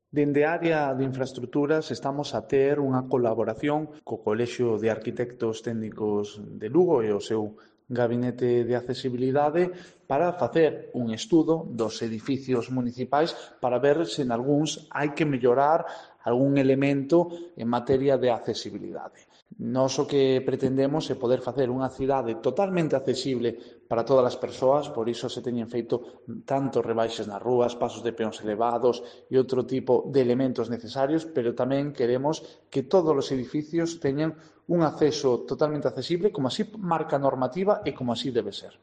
Dende a área de infraestructuras estamos a ter unha colaboración co Colexio de Arquitectos Técnicos de Lugo e o seu gabinete de accesibilidade para facer un estudo dos edificios municipais para ver se en algúns hai que mellorar algún elemento en materia de accesibilidade. Nós o que pretendemos é poder facer unha cidade totalmente accesible para todas as persoas, por iso se teñen feito tanto rebaixes nas rúas, pasos de peóns elevados e outro tipo de elementos necesarios, pero tamén queremos que todos os edificios teñan un acceso totalmente accesible, como así marca a normativa e como así debe ser.